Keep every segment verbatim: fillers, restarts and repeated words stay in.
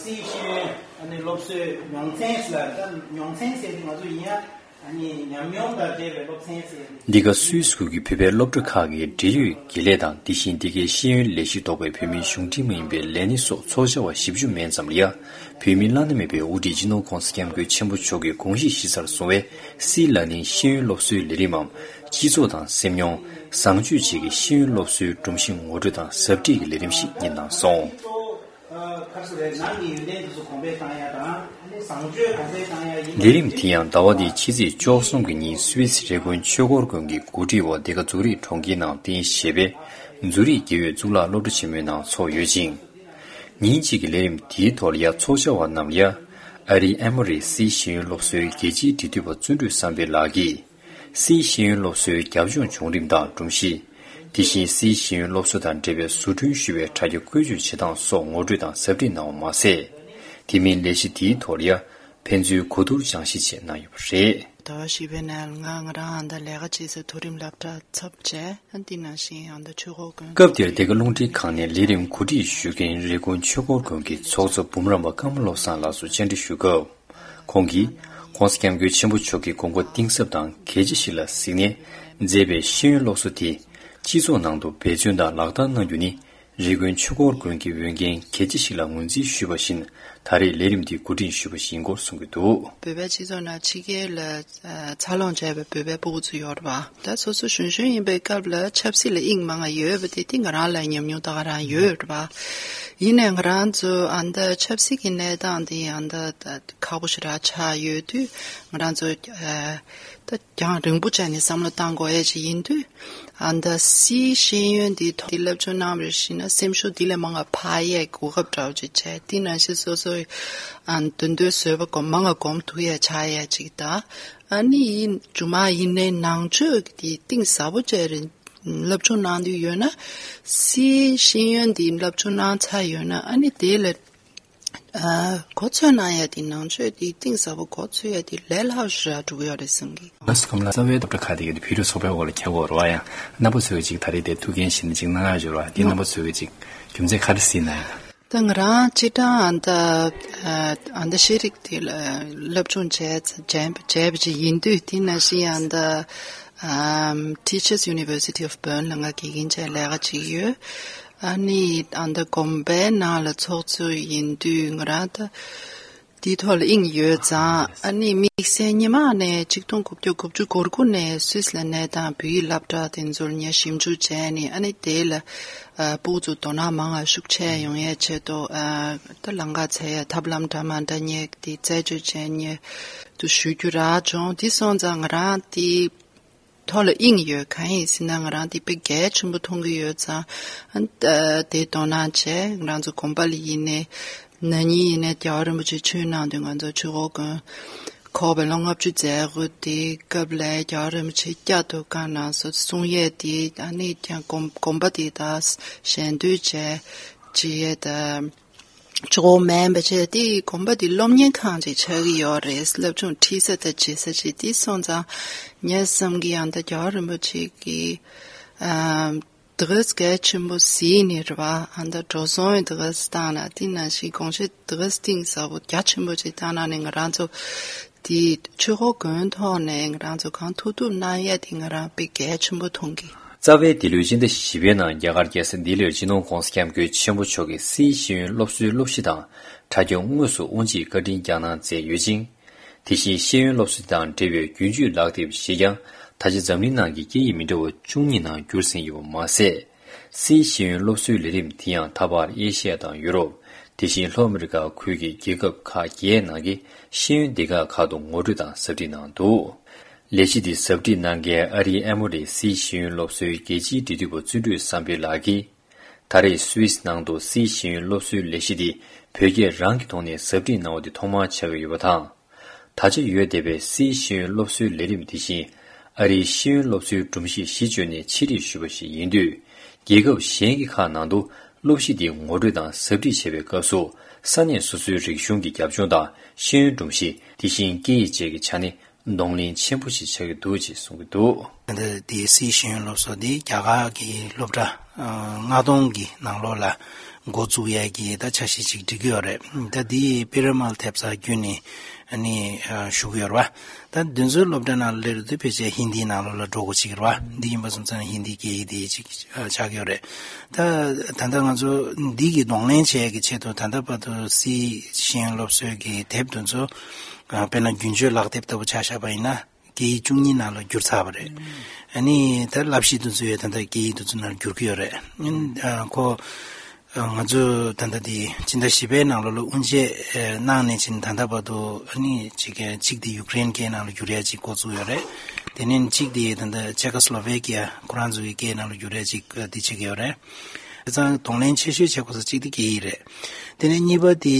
སྲིད་ཤེས་ཡོན་ཨ་ནི་སློབ་གསོའི་མྱོང་ཚན་ལ་ད་མྱོང་ཚན་ཟེར་ང་ཚོ་ཡིན་ཡ། ཨ་ནི་ཉམས་མྱོང་དང་འབྲེལ་བའི་སློབ་ཚན་ཟེར། འདི་ག་སུད་སི་ཁུལ་གྱི་བོད་པའི་སློབ་གྲྭ་ཁག་གི་འབྲེལ་ཡོད་དགེ་ལས་དང་། དེ་བཞིན་འདི་གའི་ཤེས་ཡོན་ལས་གཞི་གཏོགས་པའི་བོད་མིའི་གཞུང་འབྲེལ་མ་ཡིན་པའི་ལས་སྣེ་སོགས་ཚོགས་བཅར་བ་བཞི་བཅུ་མན་ཙམ་ལ་ཡ། བོད་མིའི་བླ་ན་མེད་པའི་དབུ་ཁྲིད་སྤྱི་ནོར་༸གོང་ས་༸སྐྱབས་མགོན་ཆེན་པོ་མཆོག་གིས་དགོངས་གཞི་གཞི་རྩར་བཟུང་བའི་སྲིད་ལག་ལེན་ཤེས་ཡོན་སློབ་གསོའི་ལས་རིམ་མམ། སྤྱི་ཚོགས་དང་སེམས་མྱོང་། བཟང་སྤྱོད་བཅས་ཀྱི་ཤེས་ཡོན་སློབ་གསོའི་སྒྲོམ་གཞི་ངོ་སྤྲོད་དང་ཟབ་ཁྲིད་ཀྱི་ལས་རིམ་ཞིག་ཡིན་གནང་སོང་། ལས་རིམ་དེ་ཡང་ཟླ་བ་འདིའི་ཕྱི་ཚེས་བཅུ་གསུམ་གྱི་ཉིན་སུད་སི་རི་ཀོན་ཆོས་འཁོར་དགོན་གྱི་གོ་སྒྲིག་འོག་འདི་ག་འཛུགས་རིགས་གྲོང་ཁྱེར་ནང་རྟེན་གཞི་བྱས་པའི་འཛུགས་རིགས་དགེ་འོས་གཙུག་ལག་སློབ་གྲྭ་ཆེན་མོའི་ནང་འཚོགས་ཡོད་ཅིང་། ཉིན་གཅིག་གི་ལས་རིམ་དེའི་ཐོག་ལ་ཡ་ཚོགས་བཅར་བ་རྣམས་ལ་ཡ། ཨ་རིའི་ཨེ་མོ་རི་སྲིད་ཤེས་ཡོན་སློབ་གསོའི་རྒྱལ་སྤྱིའི་འབྲེལ་མཐུད་པ་བརྩོན་འགྲུས་བསམ་འཕེལ་ལགས་ཀྱིས། སྲིད་ཤེས་ཡོན་སློབ་གསོའི་རྒྱབ་ལྗོངས་བྱུང་རིམ་དང་སྒྲོམ་གཞི། དེ་བཞིན་སྲིད་ཤེས་ཡོན་སློབ་གསོ་དང་འབྲེལ་བའི་བཟོ་སྐྲུན་ཞུ་བའི་དྲ་རྒྱ་བཀོལ་སྤྱོད་བྱེད་སྟངས་སོགས་ངོ་སྤྲོད་དང་ཟབ་ཁྲིད་གནང་བ་མ་ཟད། དེ་མིན་ལས་གཞི་དེའི་ཐོག་ལ་ཡ་ཕན་ཚུན་གོ་བསྡུར་སྦྱང་བཤད་བཅས་གནང་ཡོད་པ་རེད། ཟླ་བ་བཞི་པའི་ནང་ང་ང་རང་ཨ་མདའ་ལས་ཀ་བྱེད་སའི་མཐོ་རིམ་སློབ་གྲྭ་ཚབ་བྱས། ཨ་འདི་ནང་བཞིན་ཨ་མདའ་ཆོས་འཁོར་དགོན། སྐབས་དེར་འདི་ག་རླུང་འཕྲིན་ཁང་ནས་ལས་རིམ་གོ་སྒྲིག་ཞུ་མཁན་རི་ཀོན་ཆོས་འཁོར་དགོན་གྱི་ཚོགས་གཙོ་འབུམ་རམས་པ་ཀརྨ་བློ་བཟང་ལགས་སུ་བཅར་འདྲི་ཞུ་སྐབས། ཁོང་གིས་༸གོང་ས་༸སྐྱབས་མགོན་ཆེན་པོ་མཆོག་གི་དགོངས་པ་གཏིང་ཟབ་དང་གལ་ཆེ་ཞིག་ལ་གཟིགས་ནས་མཛད་པའི་ཤེས་ཡོན་སློབ་གསོ་དེ་སྤྱི་ཚོགས་ནང་དུ་འབད་བརྩོན་དང་ལག་བསྟར་གནང་རྒྱུ་ནི་རི་ཀོན་ཆོས་འཁོར་དགོན་གྱི་འོས་འགན་གལ་ཆེ་ཞིག་ལ་ངོས་འཛིན་ཞུས་པ་བཞིན་ད་རེས་ལས་རིམ་འདི་གོ་སྒྲིག་ཞུས་པ་ཞིག་ཡིན་སྐོར་གསུངས་ཀྱི་འདུག། བོད་པའི་སྤྱི་ཚོགས་ནང་ཕྱི་རྒྱལ་ལ་འཚར་ལོངས་བྱས་པའི་བོད་པའི་སྤུ་གུ་ཚོ་ཡོད་རེད་པ། ད་སོ་སོ་གཞོན་གཞོན་ཡིན་པའི་སྐབས་ལ་ཆབ་སྲིད་ལ་དབྱིངས་མང་ང་ཡོད་པ་དེ་དེ་ང་རང་ལ་ཉམས་མྱོང་ད་ག་རང་ཡོད་རེད་པ། ཡིན་ནའི་ང་རང་ཚོ་ཨ་མདའ་ཆབ་སྲིད་ཀྱི་གནས་སྟངས་དེ་ཨ་མདའ་ད་ཁག་པོ་ཞེ་དྲག་ཆགས་ཡོད་དུས་ང་རང་ཚོ་ཨ་ད་རྒྱང་རིང་པོ་བྱས་ནས་བསམ་བློ་བཏང་དགོས་ཡས་ཅིག་ཡིན་དུས། ཨ་མདའ་སྲིད་ཤེས་ཡོན་འདི་ཐོག་འདི་སློབ་སྦྱོང་གནང་བར་གཞིགས་ན་སེམས་ཤུགས་འདི་ལས་མང་བ་འཕར་ཡས་གོ་སྐབས་འདྲ་བོ་ཅིག་བྱས། དེ་ནང་བཞིན་སོ་སོའི་ཨ་འདོད་འདོད་བཟོད་པ་སྒོམ་མང་བ་སྒོམ་ཐུབ་ཡས་ཆགས་ཡས་ཅིག་དང་། ཨ་ནི་ཡིན་མཇུག་མ་ཡིན་ནའི་ནང་ཆོས་ཀྱི་གཏིང་ཟབ་པོ་བྱས་རེད། སློབ་སྦྱོང་གནང་འདོད་ཡོད་ན། སྲིད་ཤེས་ཡོན་འདི་སློབ་སྦྱོང་གནང་ཚར་ཡོད་ན་ཨ་ནི་དེ་ལ་ཨ་གོ་ཚོད་གནང་ཡ་དེ་ནང་ཆོས་དེ་གཏིང་ཟབ་པོ་གོ་ཚོད་ཡ་དེ་ལས་སླ་པོ་ཞེ་དྲག་འགྲོ་གི་ཡོད་རེད་བསམ་གི། ལགས་སོ། ཁམས་ལགས། རྩ་བའི་སློབ་གྲྭ་ཁག་དེ་གའི་བོད་རིགས་ཚོགས་པའི་འོག་ལ་འཁྱེར་དགོས་རེད་པ། ཡང་རྣམ་པ་ཚོས་ཅིག་ད་རེས་དེ་ཐུགས་འགན་བཞེས་ནས་ཅིག་གནང་ཡ་ཡོད་རེད་པ། དེ་རྣམ་པ་ཚོས་ཅིག་རྒྱུ་མཚན་ག་རེ་གཟིགས་གནང་ཡ། ད་ང་རང་སྤྱིར་བཏང་ཨ་མདའ་ཨ་མདའ་ཤེས་རིག་དེ་ལ་སློབ་སྦྱོང་བྱས་བྱས་བྱས་པ་ཅིག་ཡིན་དུས། དེ་ནང་བཞིན་ཨ་མདའ་ཨམ་Teachers University of Bern ལ་ང་དགེ་རྒན་བྱས་ལས་ཀ་བྱེད་ཀྱི་ཡོད། ཨ་ནི་ཨ་མདའ་དགོན་པའི་ནང་ལ་ཚོགས་གཙོ་ཡིན་དུས་ང་རང་ད་དེའི་ཐོག་ལ་དབྱིངས་ཡོད་ཙང་། ཨ་ནི་དམིགས་བསལ་སྔོན་མ་ནས་ཆིག་སྟོང་དགུ་བརྒྱ་དགུ་བཅུ་གོ་དགུ་ནས་སུད་སི་ལ་གནས་སྟངས་བོད་ཡིག་སློབ་གྲྭ་དེ་ཚོར་ངས་ཞིབ་འཇུག་བྱས་ནས། ཨ་ནི་དེ་ལ་ཨ་སྤུ་གུ་ཚོ་དོ་སྣང་མང་བ་ཤུགས་ཆེ་ཡོང་ཡས་ཆེད་དུ་ཨ་ད་ལམ་ཁ་འཚོལ་ཡས་ཐབས་ལམ་འདྲ་མ་འདྲ་ངས་དེ་རྩད་གཅོད་བྱས་ནས་དུ་ཞུ་རྒྱུ་རག་བྱུང་། དེ་སོང་ཙང་ང་རང་དེ་ཐོག་ལ་དབྱིངས་ཡོད། གང་ཡིན་ཟེར་ན་ང་རང་དེ་དཔེ་གལ་ཆེན་པོ་མཐོང་གི་ཡོད་ཙང་། ཨ་ནི་ད་དེ་དོ་སྣང་བྱས། ང་རང་ཚོ་དགོན་པ་ལ་ཡིན་ནའི་ན་ནིང་ཡིན་ནའི་རྒྱལ་བ་རིན་པོ་ཆེ་ཆོས་གནང་དུས་ང་ཚོ་ཆོས་འཁོར་དགོན་འཁོར་བའི་ལོ་ལྔ་བཅུ་མཛད་སྒོ་དེའི་སྐབས་ལ་རྒྱལ་བ་རིན་པོ་ཆེ་བསྐྱར་དུ་བཀའ་གནང་སོང་། གསུང་ཡས་དེ་ཨ་ནི་ཀྱང་དགོན་དགོན་པ་དེ་དག་ཞལ་འདོན་བྱས་ཅི་ཡས་ད། གཙོ་བོ་མིན་པ་བྱས་ཏེ་དགོན་པ་འདི་སློབ་གཉེར་ཁང་ཅིག་ཆགས་ཀྱི་ཡོད་རེད། སློབ་སྦྱོང་ཁྲིད་ས་དང་བྱེད་ས་ཅིག་དེ་སོང་ཙང་ངས་བསམ་གྱི་ཡང་ད་རྒྱལ་བ་རིན་པོ་ཆེ་གིས་ཨ་དེ་ག་གལ་ཆེན་པོ་གཟིགས་ནས་རེད་པ། ཨ་ད་འགྲོ་སོང་དེ་ག་བཏང་ན། དེ་ནང་བཞིན་དགོངས་བཞེད་དེ་ག་གཏིང་ཟབ་པོ་རྒྱ་ཆེན་པོ་ཅིག་བཏང་ན་ནི་ང་རང་ཚོ་དེ་ཆོས་འཁོར་དགོན་ཐོག་ནས་ང་རང་ཚོ་གང་ཐུབ་ཐུབ་གནང་ཡས་དེ་ང་རང་དཔེ་གལ་ཆེན་པོ་མཐོང་གི། རྩ་བའི་འདི་ལོའི་སྤྱི་ཟླ་བཞི་པའི་ནང་རྒྱ་གར་རྒྱལ་ས་ལྡི་ལིར་སྤྱི་ནོར་༸གོང་ས་༸སྐྱབས་མགོན་ཆེན་པོ་མཆོག་གིས་སྲིད་ཤེས་ཡོན་སློབ་གསོའི་སློབ་གཞི་དང་དྲ་རྒྱ་དངོས་སུ་དབུ་འབྱེད་བཀའ་དྲིན་བསྐྱངས་གནང་མཛད་ཡོད་ཅིང་། དེ་བཞིན་ཤེས་ཡོན་སློབ་གསོ་དང་འབྲེལ་བའི་རྒྱུན་སྤྱོད་ལག་དེབ་བཞི་ཀྱང་ད་ཆ་འཛམ་གླིང་ནང་གི་སྐད་ཡིག་མི་འདྲ་བ་བཅུ་གཉིས་ནང་བསྒྱུར་ཟིན་ཡོད་པ་མ་ཟད། སྲིད་ཤེས་ཡོན་སློབ་གསོའི་ལས་རིམ་དེ་ཡང་ད་བར་ཨེ་ཤི་ཡ་དང་ཡུ་རོབ། དེ་བཞིན་ལྷོ་ཨ་མི་རི་ཀ་ཁུལ་གྱི་རྒྱལ་ཁབ་ཁག་བརྒྱད་ནང་གི་ཤེས་ཡོན་སྡེ་ཁག་ཁག་ཏུ་ངོ་སྤྲོད་དང་ཟབ་ཁྲིད་གནང་འདུག། ལས་གཞི་འདི་ཟབ་ཁྲིད་གནང་མཁན་ཨ་རིའི་ཨེ་མོ་རི་སྲིད་ཤེས་ཡོན་སློབ་གསོའི་རྒྱལ་སྤྱིའི་འབྲེལ་མཐུད་པ་བརྩོན་འགྲུས་བསམ་འཕེལ་ལགས་ཀྱིས། ད་རེས་སུད་སི་ནང་དུ་སྲིད་ཤེས་ཡོན་སློབ་གསོའི་ལས་གཞི་འདི་བོད་སྐད་རང་གི་ཐོག་ནས་ཟབ་ཁྲིད་གནང་བ་འདི་ཐོག་མར་ཆགས་ཀྱི་ཡོད་པ་དང་། ད་ཆ་ཡོད་བསྡད་པའི་སྲིད་ཤེས་ཡོན་སློབ་གསོའི་ལས་རིམ་འདི་བཞིན་ཨ་རིའི་ཤེས་ཡོན་སློབ་གསོའི་སྒྲོམ་གཞི་གཞི་བཅོལ་ནས་ཕྱིར་རིས་ཞུས་པ་ཞིག་ཡིན་དུས། རྒྱལ་ཁབ་གཞན་གྱི་ཁག་ནང་དུ་སློབ་གཞི་འདི་ངོ་སྤྲོད་དང་ཟབ་ཁྲིད་བྱེད་པའི་སྐབས་སུ་ས་གནས་སོ་སོའི་རིག་གཞུང་གི་རྒྱབ་ལྗོངས་དང་ཤེས་ཡོན་སྒྲོམ་གཞི། དེ་བཞིན་སྐད་ཡིག་བཅས་ཀྱི་ཆ་ནས་གདོང་ལེན་ཆེན་པོ་ཞིག་ཆགས་ཀྱི་འདུག་ཅེས་གསུང་གི་འདུག། འདི་དེའི་སྲིད་ཤེས་ཡོན་སློབ་གསོ་འདི་རྒྱ་གར་གྱི་སློབ་གྲྭ་ཨ་ལྔ་སྟོང་གི་ནང་ལོགས་ལ་ འགོ་བཙུགས་ཡས་ཀྱི་ད་འཆར་གཞི་ཅིག་སྒྲིག་གི་ཡོད་རེད། ད་འདི་པི་ར་མལ་ཐེབས་རྩ་བརྒྱུད་ནས་ཨ་ནི་ཞུ་གི་ཡོད་རེད་བ། ད་འདི་ཚོའི་སློབ་གྲྭ་ནང་ལ་སླེབས་དུས་ཕལ་ཆེར་ཧིན་དིའི་ནང་ལོགས་ལ་འགྲོ་དགོས་ཅིག་རེད་བ། འདི་ཡིན་པ་སོང་ཙང་ཧིན་དི་སྐད་ཡིག་འདི་ཅིག་ཆགས་ཀྱི་ཡོད་རེད། ད་ད་ལྟ་ང་ཚོ་འདི་གི་གདོང་ལེན་བྱེད་ཡས་ཀྱི་ཆེད་དུ་ད་ལྟ་བར་དུ་སི་ཤེས་ཡོན་སློབ་གསོའི་གི་དེབ་དེ་ཚོ་དཔེར་ན་རྒྱུན་སྤྱོད་ལག་དེབ་ལྟ་བུ་ཆ་བཞག་པ་ཡིན་ན། སྐད་ཡིག་བཅུ་གཉིས་ནང་ལ་བསྒྱུར་ཚར་བ་རེད། ཨ་ནི་ད་བསླབ་གཞི་དེ་ཚོ་ཡང་ད་ལྟ་སྐད་ཡིག་དེ་ཚོ་ནང་བསྒྱུར་གྱི་ཡོད་རེད། ཨ་ཁོ་ང་ཚོས་ད་ལྟ་དེ་སྤྱི་ཟླ་བཞི་པའི་ནང་ལོགས་ལ་དབུ་འབྱེད་གནང་ནས་ཕྱིན་ད་ལྟ་བར་དུ་ཨ་ནི་གཅིག་གཅིག་དེ་ཡུ་ཀེ་རེན་སྐད་ནང་ལ་བསྒྱུར་ཡ་གཅིག་འགོ་བཙུགས་ཡོད་རེད། དེ་ནས་གཅིག་དེ་ད་ལྟ་ཅེ་ཀོ་སི་ལོ་ཝེ་ཀི་ཡ་ཁོ་རང་ཚོ་གི་སྐད་ནང་ལ་བསྒྱུར་ཡ་གཅིག་དེ་བྱེད་ཀྱི་ཡོད་རེད། དེ་ཙང་གདོང་ལེན་ཆེ་ཤོས་བྱེད་དགོས་ས་གཅིག་དེ་སྐད་ཡིག་རེད། དེ་ནས་གཉིས་པ་དེ།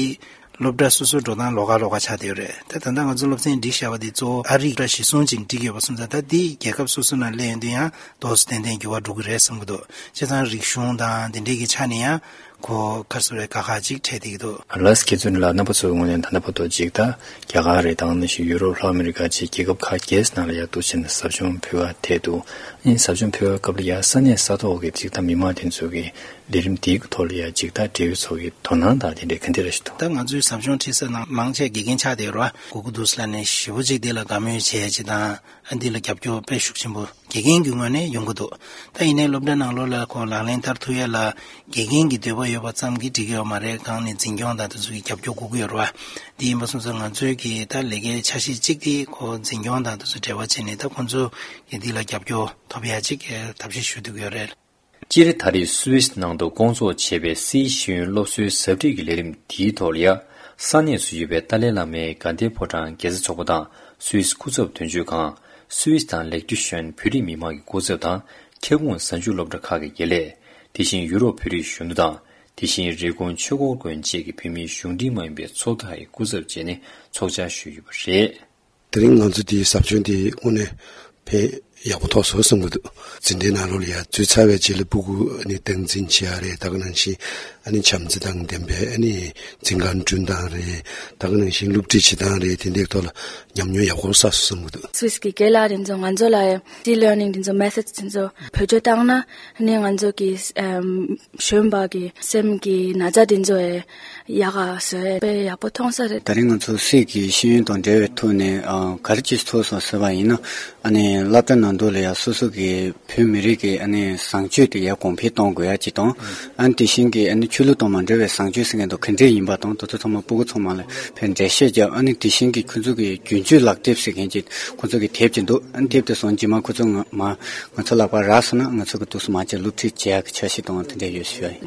སློབ་གྲྭ་སོ་སོའི་འགྲོ་སྟངས་ལོགས་ཀ་ལོགས་ཀ་ཆགས་བསྡད་ཡོད་རེད། ད་ད་ལྟ་ང་ཚོ་སློབ་ཚན་སྒྲིག་བཞག་པ་དེ་གཙོ་བོ་ཨ་རིའི་སློབ་གྲྭ་གཞིར་བཟུང་ཅིག་སྒྲིག་ཡོད་པ་སོང་ཙང་ད་དེ་རྒྱལ་ཁབ་སོ་སོ་ནང་སླེབས་ཡོང་དུས་ཡང་ཏོག་ཙམ་ཏན་ཏན་འགྱུར་བ་འགྲོ་གི་རེད་བསམ་གྱི་འདུག་བྱས་ཙང་རིག་གཞུང་དང་དེ་འདྲའི་གི་ཆ་ནས་ཡང་གོ་ཁ་སོ་རེ་ཁ་ཁ་ཅིག་འཕྲད་བསྡད་ཀྱི་འདུག་ལགས་སོ། ཁྱེད་ཚོ་ནི་ལ་རྣམ་པ་ཚོའི་ངོས་ནས་ད་ལྟ་བར་དུ་ཅིག་ད་རྒྱ་གར་རེད། ད་ག་ནང་བཞིན་ཡུ་རོབ། ལྷོ་ཨ་མི་རི་ཀ་བཅས་རྒྱལ་ཁབ་ཁག་བརྒྱད་ནང་ལ་ཡང་འདུག་བྱས་ནས་ཟབ་སྦྱོང་ཕུལ་བ་དེ་འདུག་ཨ་ནི་ཟབ་སྦྱོང་ཕུལ་བའི་སྐབས་ལ་ཡང་ས་གནས་ས་ཐོག་གི་ཅིག་ད་མི་མང་དེ་ཚོ་གི་ལས་རིམ་དེའི་ཐོག་ལ་ཡང་ཅིག་ད་འབྲེལ་ཡོད་ཚོ་གི་དོ་སྣང་དང་དེ་འདྲའི་ག་འདྲ་ཞིག་འདུག་ད་ང་ཚོའི་ཟབ་སྦྱོང་ཁྲིད་ས་ནང་མང་ཆེ་དགེ་རྒན་ཆགས་བསྡད་ཡོད་རེད་བ། སྒུག་གི་འདུག་ཟེར་ནས་ཞེ་པོ་ཅིག་དེ་ལ་དགའ་མོས་བྱས་ཅིག་དང་ཨ་འདི་ལ་རྒྱབ་སྐྱོར་དཔེ་ཤུགས་ཆེན་པོ་དགེ་རྒན་གྱི་ངོས་ནས་ཡོང་གི་འདུག་ད་ཡིན་ནའི་སློབ་གྲྭ་ནང་ལོགས་ལ་ཁོ་ལག་ལེན་བསྟར་ཐུབ་ཡ་ལ་དགེ་རྒན་གྱི་འདོད་པ་ཡོད་པ་ཙམ་གྱིས་འགྲིག་གི་ཡོད་མ་རེད། གང་ནས་འཛིན་སྐྱོང་དང་དེ་ཚོ་གི་རྒྱབ་སྐྱོར་དགོས་ཀྱི་ཡོད་རེད་བ། འདི་ཡིན་པ་སོང་ཙང་ང་ཚོའི་གི་ད་ལས་ཀའི་འཆར་གཞི་གཅིག་དེ་ཁོ་འཛིན་སྐྱོང་དང་དེ་ཚོ་འབྲེལ་བ་བྱས་ནས་ད་ཁོ་ཚོ་གི་འདི་ལ་རྒྱབ་སྐྱོར་ཐོབ་ཡ་གཅིག་ཐབས་ཤེས་ཞུ་འདོད་ཀྱི་ཡོད་རེད། སྤྱིར་ད་རེས་སུད་སི་ནང་དུ་སྐོང་ཚོགས་བྱས་པའི་སིའི་ཤེས་ཡོན་སློབ་གསོའི་ཟབ་ཁྲིད་ཀྱི་ལས་རིམ་དེའི་ཐོག་ལ་ཡ། ས་གནས་སུ་ཡོད་པའི་ཏཱ་ལའི་བླ་མའི་དགའ་ལྡན་ཕོ་བྲང་རྒྱལ་ས་ཚོགས་པ་དང་སུད་སི་སྐུ་ཚབ་དོན་གཅོད་ཁང་། སུད་སི་དང་ལེག་ཏི་ཤོན་བོད་རིགས་མི་མང་གི་སྐུ་ཚབ་དང་། ཁྱབ་ཁོངས་གཟའ་མཇུག་སློབ་གྲྭ་ཁག་གི་དགེ་ལས། དེ་བཞིན་ཡུ་རོབ་བོད་རིགས་གཞོན་ནུ་དང་། དེ་བཞིན་རི་ཀོན་ཆོས་འཁོར་དགོན་བཅས་ཀྱི་བོད་མིའི་གཞུང་འབྲེལ་མ་ཡིན་པའི་ཚོགས་ཁག་གི་སྐུ་ཚབ་བཅས་ནས་ཚོགས་བཅར་ཞུས་ཡོད་པ་རེད། དེ་རིང་ང་ཚོ་འདིའི་ཟབ་སྦྱོང་འདི་དངོས་གནས་ཕན་ཡག་པོ་ཐོགས་སོང་བསམ་གྱི་འདུག་འཛིན་གྲྭའི་ནང་ལོགས་ལ་ཡ་འཛུལ་ཚར་བའི་རྗེས་ལ་སྤུ་གུ་ཨ་ནི་སྟངས་འཛིན་བྱེད་ཡ་རེད། ད་ག་ནང་བཞིན་ཨ་ནི་བྱམས་བརྩེ་དང་ལྡན་པའི་ཨ་ནི་འཛིན་ཁང་བསྐྲུན་སྟངས་རེད། ད་ག་ནང་བཞིན་སློབ་ཁྲིད་བྱེད་སྟངས་རེད། དེ་འདྲའི་ཐོག་ལ་ཉམས་མྱོང་ཡག་པོ་བསགས་སོང་བསམ་གྱི་འདུག་སུད་སི་གི་རྒན་ལགས་རེད་ཚོ་ང་ཚོ་ལ་ཡ་ལེར་ནིང་དེ་ཚོ་མེ་ཐོཌ་དེ་ཚོ་བེད་སྤྱོད་བཏང་ན་ཨ་ནི་ང་ཚོ་གི་ཨམ། གཞོན་པ་གི་སེམས་ཀྱི་ན་ཚ་དེ་ཚོ་ཡ་ཡག་ག་བཟོ་ཡ་དཔེ་ཡག་པོ་མཐོང་ས་རེད། ད་རིང་ང་ཚོ་སུད་སི་གི་ཤེས་ཡོན་དང་འབྲེལ་བའི་ཐོག་ནས་ཨ། ག་རེ་ཅིག་ཐོགས་སོང་ཟེར་བ་ཡིན་ན། ཨ་ནི་སློབ་གྲྭ་ནང་དུ་ལ་ཡ་སོ་སོ་གི་བོད་མི་རིགས་ཀྱི་ཨ་ནི་བཟང་སྤྱོད་དེ་ཡར་གོང་འཕེལ་གཏོང་དགོས་ཡ་ཅིག་དང་། ཨ་ནི་དེ་བཞིན་གྱི་ཨ་ནི་ཆོས་ལུགས་དང་མ་འབྲེལ་བའི་བཟང་སྤྱོད་ཟེར་མཁན་དང་ག་འདྲས་ཡིན་པ་དང་དེ་ཚོ་ཚང་མ་སྤུ་གུ་ཚང་མ་ལ་ཕར་འགྲེལ་བཤད་བརྒྱབ། ཨ་ནི་དེ་བཞིན་གྱི་ཁོ་ཚོ་གི་རྒྱུན་སྤྱོད་ལག་དེབ་ཟེར་མཁན་ཅིག་ཁོ་ཚོ་གི་དེབ་ཅིག་འདུག་ཨ་ནི་དེབ་དེ་སོང་རྗེས་མ་ཁོ་ཚོ་ང་མ་ང་ཚོ་ལག་པར་རག་སོང་ན་ང་ཚོ་གི་འདུག་སེ་མ་བྱས་སློབ་ཁྲིད་བྱེད་ཡག་གི་འཆར་གཞི་དང་དེ་འདྲ་ཡོད་ཞུ་ཡ་ཡིན།